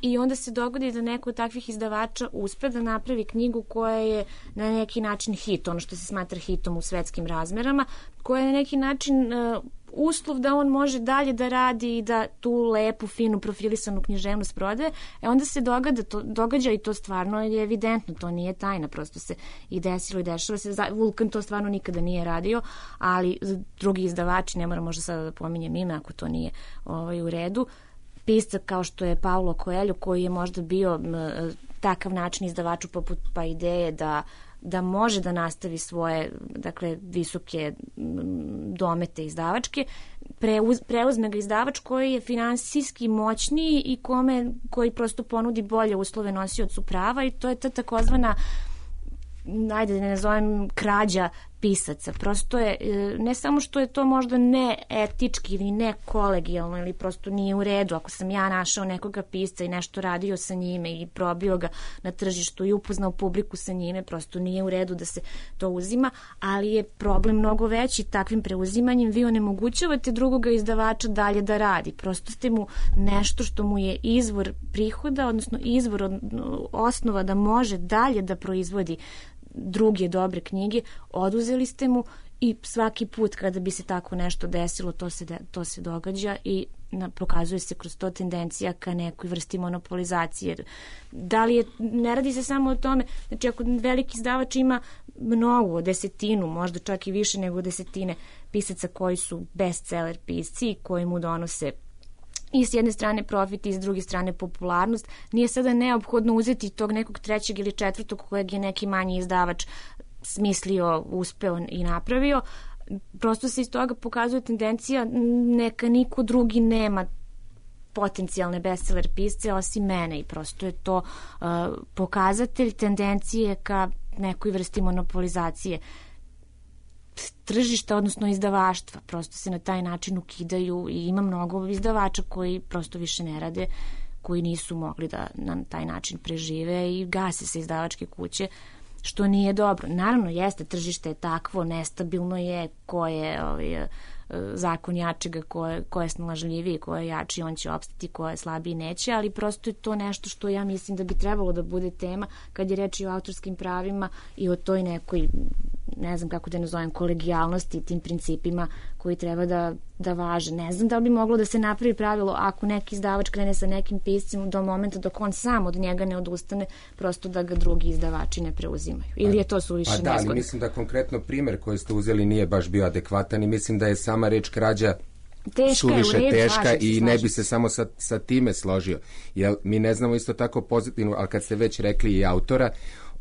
I onda se dogodi da neko od takvih izdavača uspe da napravi knjigu koja je na neki način hit, ono što se smatra hitom u svetskim razmerama, koja je na neki način uh, uslov da on može dalje da radi i da tu lepu, finu, profilisanu književnost prodaje. E onda se događa, to, događa i to stvarno je evidentno, to nije tajna, prosto se i desilo i dešava se. Vulkan to stvarno nikada nije radio, ali drugi izdavači, ne moram možda sada da pominjem ime ako to nije ovaj, u redu, pisca kao što je Paulo Coelho, koji je možda bio m, takav način izdavaču poput pa ideje da, da može da nastavi svoje, dakle, visoke m, domete izdavačke, preuz, preuzme ga izdavač koji je finansijski moćniji i kome, koji prosto ponudi bolje uslove nosiocu prava i to je ta takozvana, ajde da ne nazovem, krađa pisaca. Prosto je, ne samo što je to možda neetički ili nekolegijalno ili prosto nije u redu, ako sam ja našao nekoga pisca i nešto radio sa njime i probio ga na tržištu i upoznao publiku sa njime, prosto nije u redu da se to uzima, ali je problem mnogo veći. Takvim preuzimanjem vi onemogućavate drugoga izdavača dalje da radi. Prosto ste mu nešto što mu je izvor prihoda, odnosno izvor osnova da može dalje da proizvodi druge dobre knjige, oduzeli ste mu i svaki put kada bi se tako nešto desilo, to se, de, to se događa i na, pokazuje se kroz to tendencija ka nekoj vrsti monopolizacije. Da li je, ne radi se samo o tome, znači ako veliki izdavač ima mnogo, desetinu, možda čak i više nego desetine pisaca koji su bestseller pisci i koji mu donose i s jedne strane profit i s druge strane popularnost, nije sada neophodno uzeti tog nekog trećeg ili četvrtog kojeg je neki manji izdavač smislio, uspeo i napravio. Prosto se iz toga pokazuje tendencija neka niko drugi nema potencijalne bestseller pisce osim mene i prosto je to uh, pokazatelj tendencije ka nekoj vrsti monopolizacije tržišta, odnosno izdavaštva. Prosto se na taj način ukidaju i ima mnogo izdavača koji prosto više ne rade, koji nisu mogli da na taj način prežive i gase se izdavačke kuće, što nije dobro. Naravno, jeste, tržište je takvo, nestabilno je, ko je ovaj, zakon jačega, ko je, ko je snalažljiviji, ko je jači, on će opstati, ko je slabiji neće, ali prosto je to nešto što ja mislim da bi trebalo da bude tema kad je reč i o autorskim pravima i o toj nekoj, ne znam kako da nazovem, kolegijalnosti i tim principima koji treba da, da važe. Ne znam da li bi moglo da se napravi pravilo ako neki izdavač krene sa nekim piscem do momenta dok on sam od njega ne odustane, prosto da ga drugi izdavači ne preuzimaju. Ili je to suviše nezgodno? Pa da, ali mislim da konkretno primer koji ste uzeli nije baš bio adekvatan i mislim da je sama reč krađa teška, suviše red, teška slažem, i slažem. Ne bi se samo sa, sa time složio. Jer mi ne znamo isto tako pozitivno, ali kad ste već rekli i autora,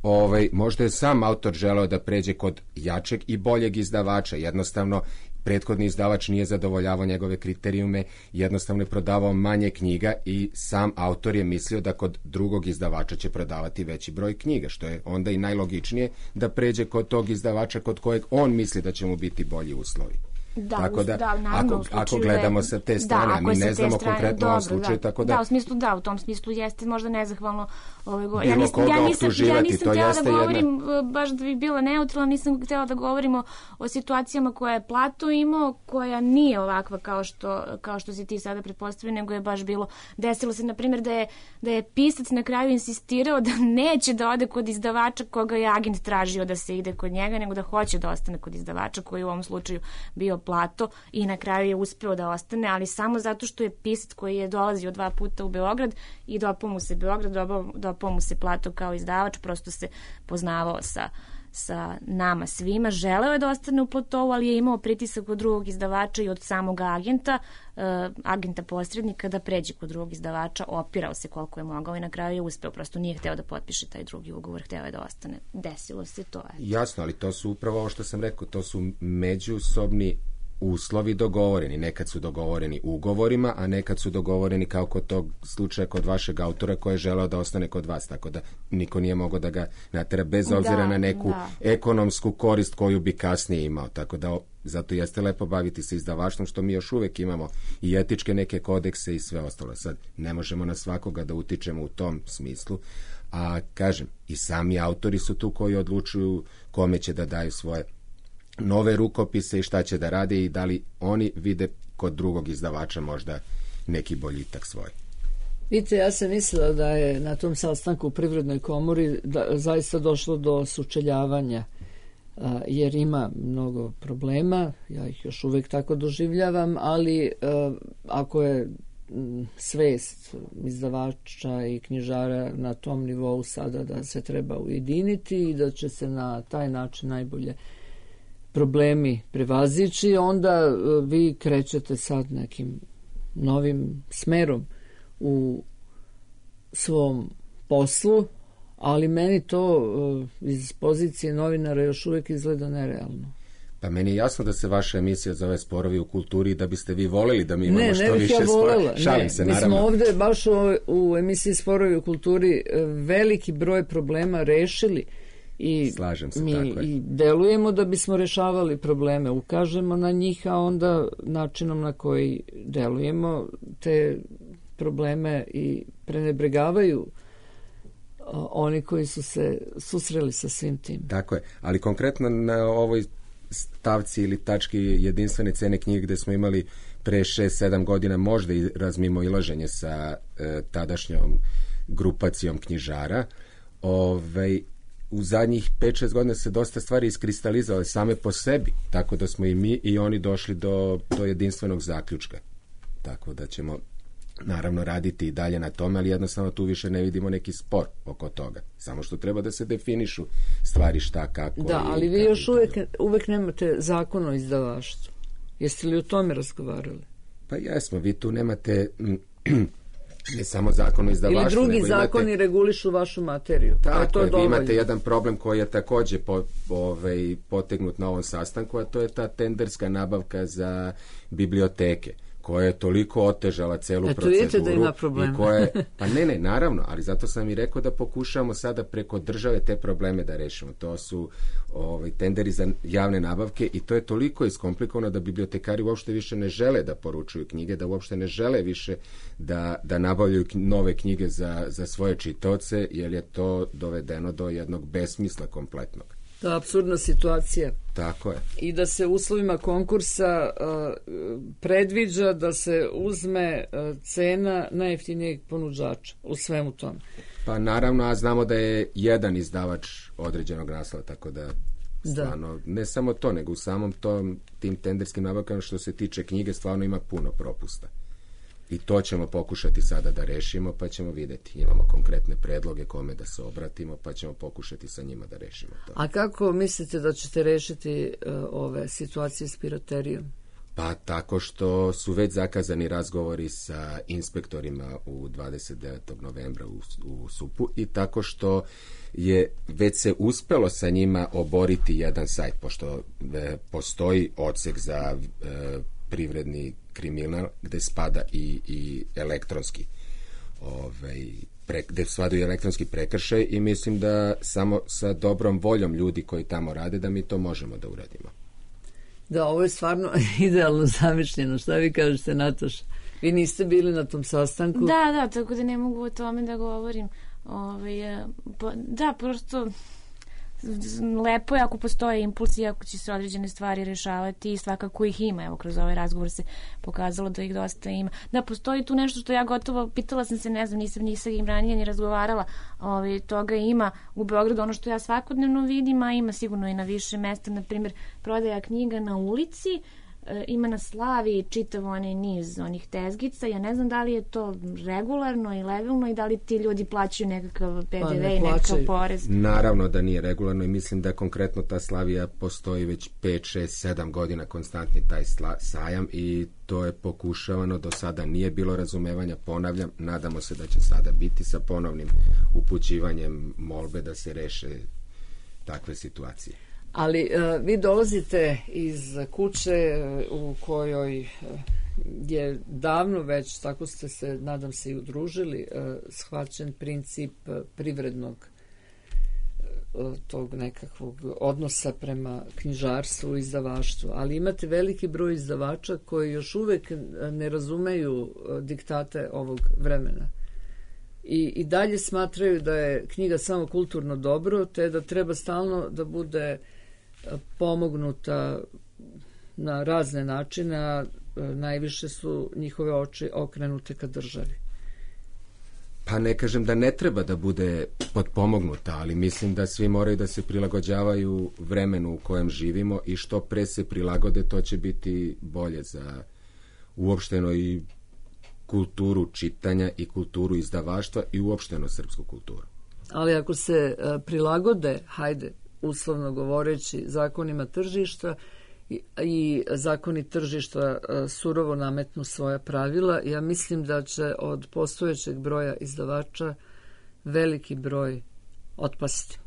ovaj, možda je sam autor želeo da pređe kod jačeg i boljeg izdavača. Jednostavno, prethodni izdavač nije zadovoljavao njegove kriterijume, jednostavno je prodavao manje knjiga i sam autor je mislio da kod drugog izdavača će prodavati veći broj knjiga, što je onda i najlogičnije da pređe kod tog izdavača kod kojeg on misli da će mu biti bolji uslovi. Da, tako da, da naravno, ako, ako gledamo sa te strane, da, mi ne znamo strane, konkretno u ovom slučaju, da, tako da... Da, u smislu da, u tom smislu jeste možda nezahvalno ovaj go... Bilo ja nisam, koga ja nisam, optuživati, ja nisam to htjela jeste da govorim, jedna... baš da bi bila neutralna, nisam htjela da govorimo o situacijama koja je Plato imao, koja nije ovakva kao što, kao što si ti sada pretpostavio, nego je baš bilo, desilo se, na primjer, da je, da je pisac na kraju insistirao da neće da ode kod izdavača koga je agent tražio da se ide kod njega, nego da hoće da ostane kod izdavača, koji u ovom slučaju bio Plato, i na kraju je uspeo da ostane, ali samo zato što je pisac koji je dolazio dva puta u Beograd i dopao mu se Beograd, dopao mu se Plato kao izdavač, prosto se poznavao sa, sa nama svima. Želeo je da ostane u Platovu, ali je imao pritisak od drugog izdavača i od samog agenta, uh, agenta posrednika da pređe kod drugog izdavača, opirao se koliko je mogao i na kraju je uspeo, prosto nije hteo da potpiše taj drugi ugovor, hteo je da ostane. Desilo se to. Eto. Jasno, ali to su upravo ovo što sam rekao, to su međusobni uslovi dogovoreni. Nekad su dogovoreni ugovorima, a nekad su dogovoreni kao kod tog slučaja kod vašeg autora koji je želeo da ostane kod vas, tako da niko nije mogao da ga natera bez obzira da, na neku da. ekonomsku korist koju bi kasnije imao. Tako da zato jeste lepo baviti se izdavaštvom, što mi još uvek imamo i etičke neke kodekse i sve ostalo. Sad ne možemo na svakoga da utičemo u tom smislu, a kažem, i sami autori su tu koji odlučuju kome će da daju svoje nove rukopise i šta će da rade i da li oni vide kod drugog izdavača možda neki boljitak svoj. Vidite, ja sam mislila da je na tom sastanku u Privrednoj komori da, zaista došlo do sučeljavanja, a, jer ima mnogo problema, ja ih još uvek tako doživljavam, ali a, ako je m, svest izdavača i knjižara na tom nivou sada da se treba ujediniti i da će se na taj način najbolje problemi prevazići, onda uh, vi krećete sad nekim novim smerom u svom poslu, ali meni to uh, iz pozicije novinara još uvijek izgleda nerealno. Pa meni je jasno da se vaša emisija zove Sporovi u kulturi i da biste vi voleli da mi imamo ne, što ne više ja spora. Šalim ne, se, mi naravno. smo ovde baš u, u emisiji Sporovi u kulturi veliki broj problema rešili i Slažem se, mi tako je. i delujemo da bismo rešavali probleme, ukažemo na njih, a onda načinom na koji delujemo te probleme i prenebregavaju oni koji su se susreli sa svim tim. Tako je, ali konkretno na ovoj stavci ili tački jedinstvene cene knjige gde smo imali pre šest sedam godina možda i razmimo ilaženje sa e, tadašnjom grupacijom knjižara, ovaj, u zadnjih pet šest godina se dosta stvari iskristalizovale same po sebi, tako da smo i mi i oni došli do, do jedinstvenog zaključka. Tako da ćemo naravno raditi i dalje na tome, ali jednostavno tu više ne vidimo neki spor oko toga. Samo što treba da se definišu stvari šta, kako. Da, ali vi još uvek, uvek nemate zakon o izdavaštvu. Jeste li o tome razgovarali? Pa jesmo, vi tu nemate ne samo zakon o izdavaštvu. Ili drugi zakoni imate, regulišu vašu materiju. Tako to je, je vi imate jedan problem koji je takođe po, ovaj, potegnut na ovom sastanku, a to je ta tenderska nabavka za biblioteke, koja je toliko otežala celu Eto, proceduru. vidite da ima problema. I koje, pa ne, ne, naravno, ali zato sam i rekao da pokušamo sada preko države te probleme da rešimo. To su ovaj, tenderi za javne nabavke i to je toliko iskomplikovano da bibliotekari uopšte više ne žele da poručuju knjige, da uopšte ne žele više da, da nabavljaju nove knjige za, za svoje čitaoce, jer je to dovedeno do jednog besmisla kompletnog. To je apsurdna situacija. Tako je. I da se uslovima konkursa uh, predviđa da se uzme uh, cena najjeftinijeg ponuđača u svemu tome. Pa naravno, a znamo da je jedan izdavač određenog naslova, tako da stvarno, da. Ne samo to, nego u samom tom, tim tenderskim nabavkama što se tiče knjige stvarno ima puno propusta. I to ćemo pokušati sada da rešimo, pa ćemo videti. Imamo konkretne predloge kome da se obratimo, pa ćemo pokušati sa njima da rešimo to. A kako mislite da ćete rešiti uh, ove situacije s piraterijom? Pa tako što su već zakazani razgovori sa inspektorima u dvadeset devetog novembra u, u Supu i tako što je već se uspelo sa njima oboriti jedan sajt, pošto e, postoji odsek za e, privredni kriminal gde spada i, i elektronski ovaj, pre, gde spadaju elektronski prekršaj i mislim da samo sa dobrom voljom ljudi koji tamo rade da mi to možemo da uradimo. Da, ovo je stvarno idealno zamišljeno. Šta vi kažete, Nataša? Vi niste bili na tom sastanku? Da, da, tako da ne mogu o tome da govorim. Ove, da, prosto lepo je ako postoje impulsi, ako će se određene stvari rešavati i svakako ih ima. Evo, kroz ovaj razgovor se pokazalo da ih dosta ima. Da, postoji tu nešto što ja gotovo, pitala sam se, ne znam, nisam nisam im ranije ni razgovarala, ove, toga ima u Beogradu, ono što ja svakodnevno vidim, a ima sigurno i na više mesta, na primjer, prodaja knjiga na ulici, e, ima na Slavi čitav onaj niz onih tezgica. Ja ne znam da li je to regularno i legalno i da li ti ljudi plaćaju nekakav P D V i nekakav porez. Naravno da nije regularno i mislim da konkretno ta Slavija postoji već pet, šest, sedam godina konstantni taj sla, sajam i to je pokušavano, do sada nije bilo razumevanja, ponavljam, nadamo se da će sada biti sa ponovnim upućivanjem molbe da se reše takve situacije. Ali uh, vi dolazite iz kuće u kojoj je davno već, tako ste se, nadam se, i udružili, uh, shvaćen princip privrednog uh, tog nekakvog odnosa prema knjižarstvu i izdavaštvu. Ali imate veliki broj izdavača koji još uvek ne razumeju uh, diktate ovog vremena. I, i dalje smatraju da je knjiga samo kulturno dobro, te da treba stalno da bude pomognuta na razne načine, a najviše su njihove oči okrenute ka državi. Pa ne kažem da ne treba da bude potpomognuta, ali mislim da svi moraju da se prilagođavaju vremenu u kojem živimo i što pre se prilagode, to će biti bolje za uopšteno i kulturu čitanja i kulturu izdavaštva i uopšteno srpsku kulturu. Ali ako se uh, prilagode, hajde, uslovno govoreći, zakonima tržišta i, i zakoni tržišta uh, surovo nametnu svoja pravila, ja mislim da će od postojećeg broja izdavača veliki broj otpasti.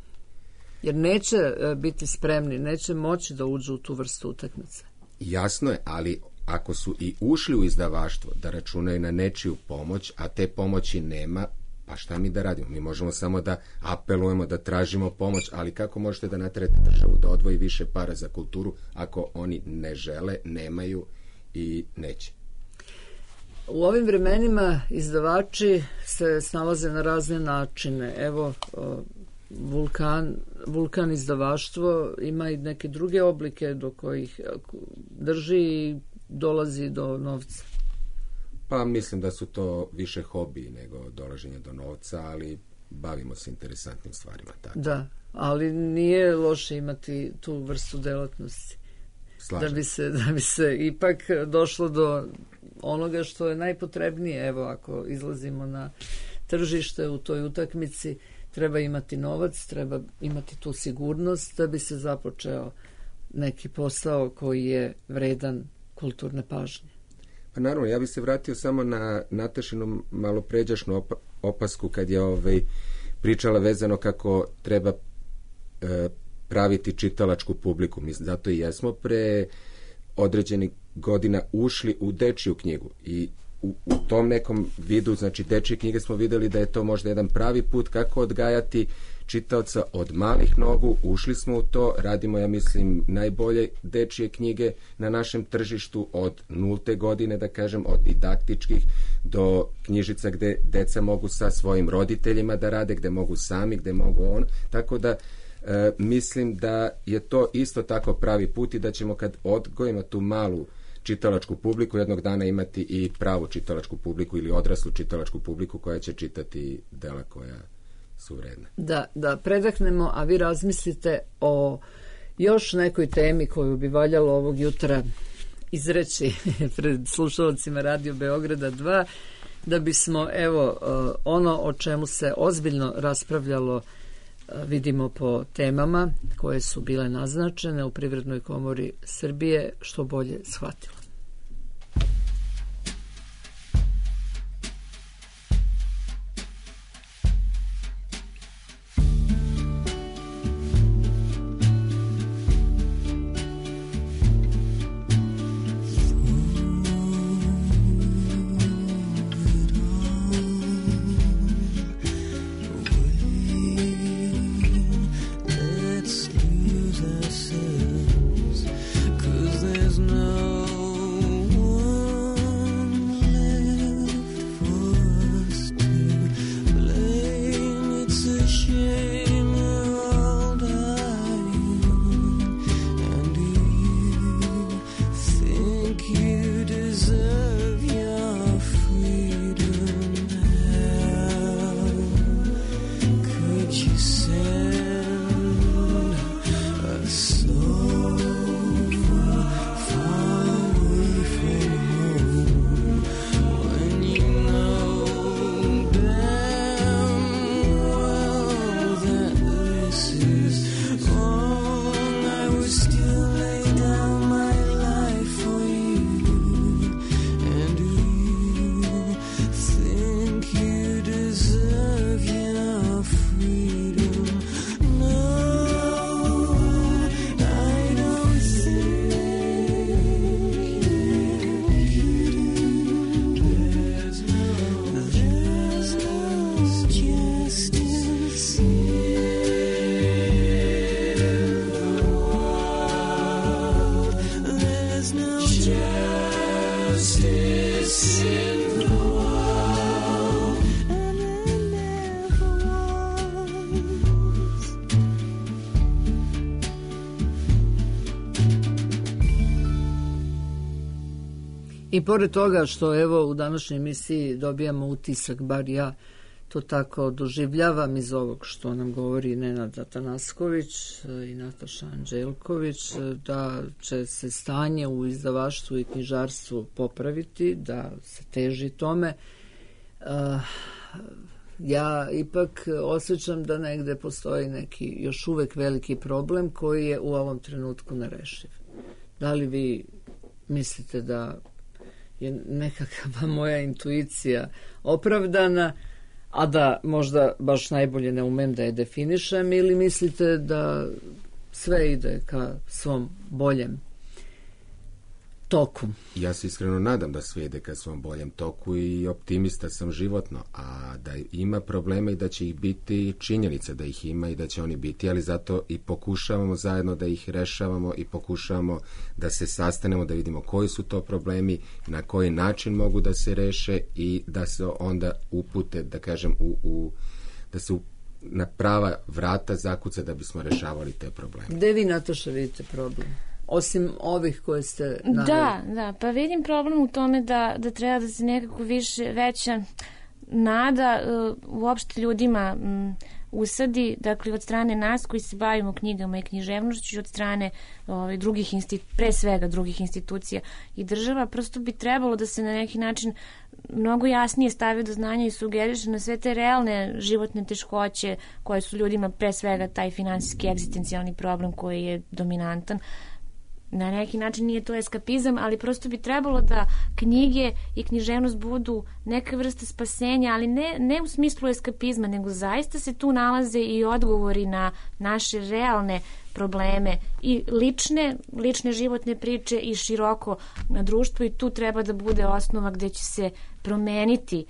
Jer neće uh, biti spremni, neće moći da uđu u tu vrstu utakmice. Jasno je, ali ako su i ušli u izdavaštvo da računaju na nečiju pomoć, a te pomoći nema, pa šta mi da radimo? Mi možemo samo da apelujemo, da tražimo pomoć, ali kako možete da naterate državu da odvoji više para za kulturu ako oni ne žele, nemaju i neće? U ovim vremenima izdavači se snalaze na razne načine. Evo, Vulkan, Vulkan izdavaštvo ima i neke druge oblike do kojih drži i dolazi do novca. Pa mislim da su to više hobiji nego dolaženje do novca, ali bavimo se interesantnim stvarima. Tako. Da, ali nije loše imati tu vrstu delatnosti. Slažem. Da bi se, da bi se ipak došlo do onoga što je najpotrebnije. Evo, ako izlazimo na tržište u toj utakmici, treba imati novac, treba imati tu sigurnost da bi se započeo neki posao koji je vredan kulturne pažnje. Pa naravno, ja bih se vratio samo na Natašinu malopređašnu op opasku kad je ovaj, pričala vezano kako treba e, praviti čitalačku publiku. Mi zato i jesmo pre određenih godina ušli u dečiju knjigu i u, u tom nekom vidu, znači dečije knjige smo videli da je to možda jedan pravi put kako odgajati čitaoca od malih nogu, ušli smo u to, radimo, ja mislim, najbolje dečije knjige na našem tržištu od nulte godine, da kažem, od didaktičkih do knjižica gde deca mogu sa svojim roditeljima da rade, gde mogu sami, gde mogu on, tako da e, mislim da je to isto tako pravi put i da ćemo kad odgojimo tu malu čitalačku publiku, jednog dana imati i pravu čitalačku publiku ili odraslu čitalačku publiku koja će čitati dela koja su vredne. Da, da predahnemo, a vi razmislite o još nekoj temi koju bi valjalo ovog jutra izreći pred slušalcima Radio Beograda dva, da bismo, evo, ono o čemu se ozbiljno raspravljalo vidimo po temama koje su bile naznačene u Privrednoj komori Srbije, što bolje shvatilo. Let's lose ourselves, 'cause there's no I pored toga što evo u današnjoj emisiji dobijamo utisak, bar ja to tako doživljavam iz ovog što nam govori Nenad Atanasković i Nataša Anđelković, da će se stanje u izdavaštvu i knjižarstvu popraviti, da se teži tome. Uh, ja ipak osjećam da negde postoji neki još uvek veliki problem koji je u ovom trenutku nerešiv. Da li vi mislite da je nekakva moja intuicija opravdana, a da možda baš najbolje ne umem da je definišem, ili mislite da sve ide ka svom boljem toku? Ja se iskreno nadam da sve ide ka svom boljem toku i optimista sam životno, a da ima problema i da će ih biti, činjenica da ih ima i da će oni biti, ali zato i pokušavamo zajedno da ih rešavamo i pokušavamo da se sastanemo, da vidimo koji su to problemi, na koji način mogu da se reše i da se onda upute, da kažem, u, u, da se u, na prava vrata zakuca da bismo rešavali te probleme. Gde vi, Nataša, vidite problem? Osim ovih koje ste naveli. Da, da, pa vidim problem u tome da, da treba da se nekako više, veća nada uh, uopšte ljudima um, usadi, dakle od strane nas koji se bavimo knjigama i književnošću, od strane ovaj, drugih institu, pre svega drugih institucija i država, prosto bi trebalo da se na neki način mnogo jasnije stavi do znanja i sugeriše na sve te realne životne teškoće koje su ljudima, pre svega taj finansijski egzistencijalni problem koji je dominantan. Na neki način nije to eskapizam, ali prosto bi trebalo da knjige i književnost budu neka vrsta spasenja, ali ne, ne u smislu eskapizma, nego zaista se tu nalaze i odgovori na naše realne probleme i lične, lične životne priče i široko na društvo, i tu treba da bude osnova gde će se promeniti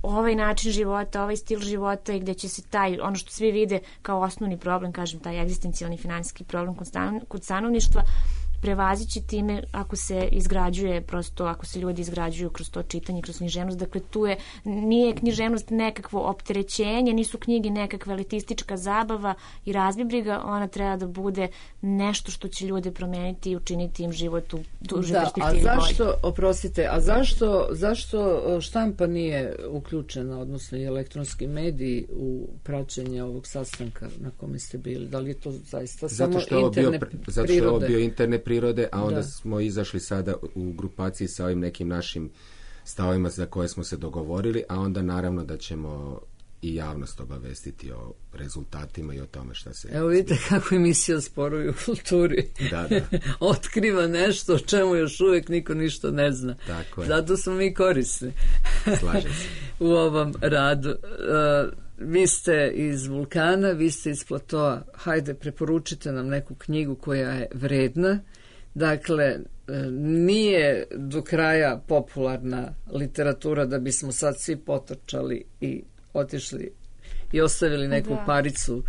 ovaj način života, ovaj stil života i gde će se taj, ono što svi vide kao osnovni problem, kažem, taj egzistencijalni finansijski problem kod, stan, kod stanovništva, prevazići time ako se izgrađuje, prosto ako se ljudi izgrađuju kroz to čitanje, kroz književnost. Dakle, tu je, nije književnost nekakvo opterećenje, nisu knjige nekakva elitistička zabava i razbibriga, ona treba da bude nešto što će ljude promeniti i učiniti im život u duže da, perspektivi. A zašto, bolje. Oprostite, a zašto, zašto štampa nije uključena, odnosno i elektronski mediji u praćenje ovog sastanka na kome ste bili? Da li je to zaista samo interne prirode? Zato što je ovo bio interne prirode, a onda da. smo izašli sada u grupaciji sa ovim nekim našim stavovima za koje smo se dogovorili, a onda naravno da ćemo i javnost obavestiti o rezultatima i o tome šta se... Evo vidite kako emisija Sporovi u kulturi da, da. otkriva nešto o čemu još uvijek niko ništa ne zna. Tako je. Zato smo mi korisni. Slažem se. U ovom radu. Uh, vi ste iz Vulkana, vi ste iz Platoa. Hajde, preporučite nam neku knjigu koja je vredna. Dakle, nije do kraja popularna literatura da bismo sad svi potrčali i otišli i ostavili neku da. paricu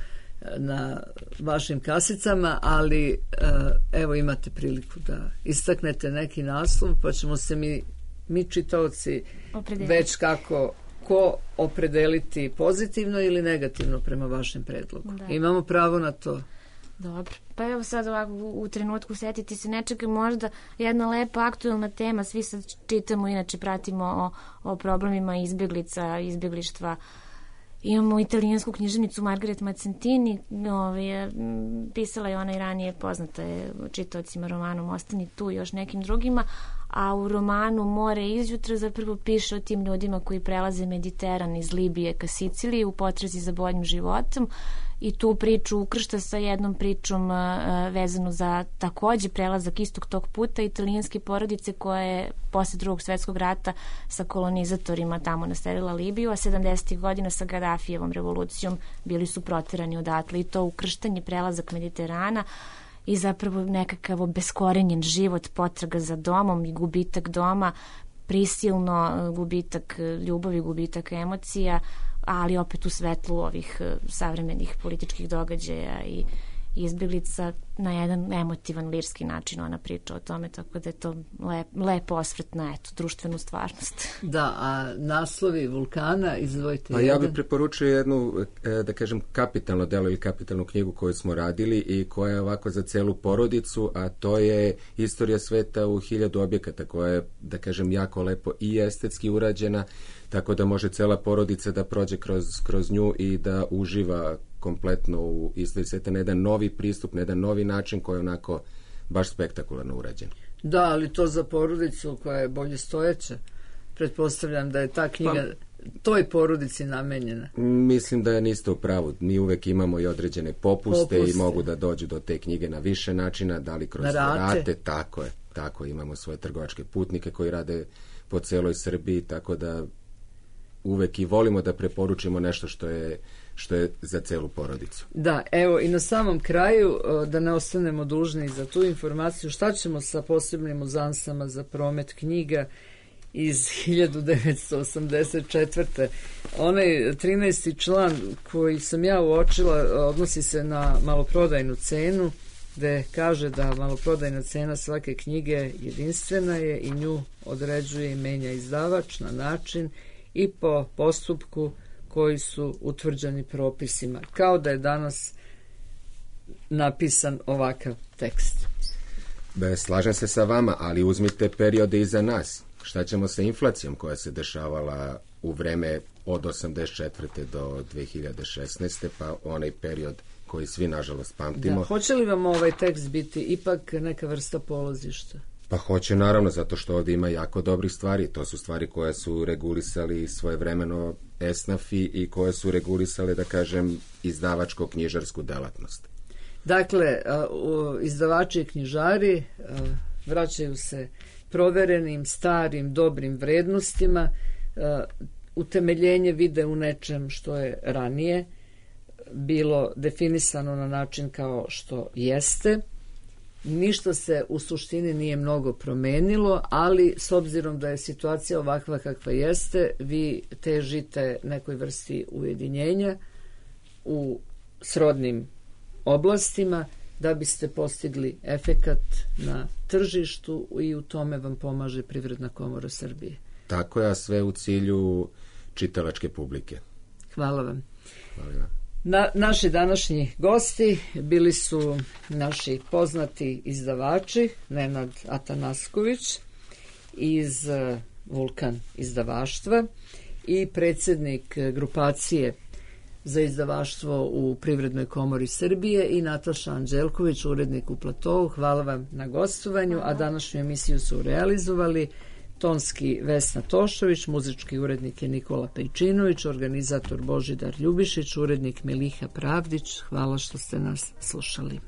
na vašim kasicama, ali evo imate priliku da istaknete neki naslov, pa ćemo se mi, mi čitaoci već kako ko opredeliti pozitivno ili negativno prema vašem predlogu. Da. Imamo pravo na to. Dobro, pa evo sad ovako u, u trenutku setiti se nečega, možda jedna lepa aktuelna tema, svi sad čitamo, inače pratimo o, o problemima izbjeglica, izbjeglištva. Imamo italijansku književnicu Margaret Mazzentini, ovaj, pisala je ona i ranije, poznata je čitaocima romanom Ostani tu i još nekim drugima, a u romanu More izjutra zapravo piše o tim ljudima koji prelaze Mediteran iz Libije ka Siciliji u potrazi za boljim životom, i tu priču ukršta sa jednom pričom uh, vezanu za takođe prelazak istog tog puta italijanske porodice koja je posle drugog svetskog rata sa kolonizatorima tamo naselila Libiju, a sedamdesetih godina sa Gadafijevom revolucijom bili su proterani odatle, i to ukrštanje, prelazak Mediterana i zapravo nekakav beskorenjen život, potraga za domom i gubitak doma, prisilno gubitak ljubavi, gubitak emocija, ali opet u svetlu ovih savremenih političkih događaja i, izbjeglica na jedan emotivan, lirski način ona priča o tome, tako da je to lep, lep osvrt na eto, društvenu stvarnost. Da, a naslovi Vulkana, izdvojite Pa jedan. ja bih preporučio jednu, da kažem, kapitalno delo ili kapitalnu knjigu koju smo radili i koja je ovako za celu porodicu, a to je Istorija sveta u hiljadu objekata, koja je, da kažem, jako lepo i estetski urađena, tako da može cela porodica da prođe kroz, kroz nju i da uživa kompletno u istoriji sveta na jedan novi pristup, na jedan novi način koji je onako baš spektakularno urađen. Da, ali to za porodicu koja je bolje stojeća. Pretpostavljam da je ta knjiga pa, toj porodici namenjena. Mislim da je niste u pravu. Mi uvek imamo i određene popuste, popuste. I mogu da dođu do te knjige na više načina, da li kroz rate. rate, tako je. Tako imamo svoje trgovačke putnike koji rade po celoj Srbiji, tako da uvek i volimo da preporučimo nešto što je što je za celu porodicu. Da, evo i na samom kraju, da ne ostanemo dužni za tu informaciju, šta ćemo sa posebnim uzansama za promet knjiga iz hiljadu devetsto osamdeset četvrte. Onaj trinaesti član koji sam ja uočila odnosi se na maloprodajnu cenu, gde kaže da maloprodajna cena svake knjige jedinstvena je i nju određuje i menja izdavač na način i po postupku koji su utvrđeni propisima, kao da je danas napisan ovakav tekst. Be, slažem se sa vama, ali uzmite periode iza nas. Šta ćemo sa inflacijom koja se dešavala u vreme od osamdeset četvrte do dve hiljade šesnaeste, pa onaj period koji svi nažalost pamtimo. Da, hoće li vam ovaj tekst biti ipak neka vrsta polazišta? Pa hoće, naravno, zato što ovdje ima jako dobrih stvari. To su stvari koje su regulisali svojevremeno esnafi i koje su regulisale, da kažem, izdavačko-knjižarsku delatnost. Dakle, izdavači i knjižari vraćaju se proverenim, starim, dobrim vrednostima, utemeljenje vide u nečem što je ranije bilo definisano na način kao što jeste. Ništa se u suštini nije mnogo promenilo, ali s obzirom da je situacija ovakva kakva jeste, vi težite nekoj vrsti ujedinjenja u srodnim oblastima da biste postigli efekat na tržištu i u tome vam pomaže Privredna komora Srbije. Tako je, a sve u cilju čitalačke publike. Hvala vam. Hvala vam. Na, naši današnji gosti bili su naši poznati izdavači, Nenad Atanasković iz Vulkan izdavaštva i predsjednik grupacije za izdavaštvo u Privrednoj komori Srbije i Nataša Anđelković, urednik u Platovu. Hvala vam na gostovanju, a današnju emisiju su realizovali tonski Vesna Tošović, muzički urednik je Nikola Pejčinović, organizator Božidar Ljubišić, urednik Miliha Pravdić. Hvala što ste nas slušali.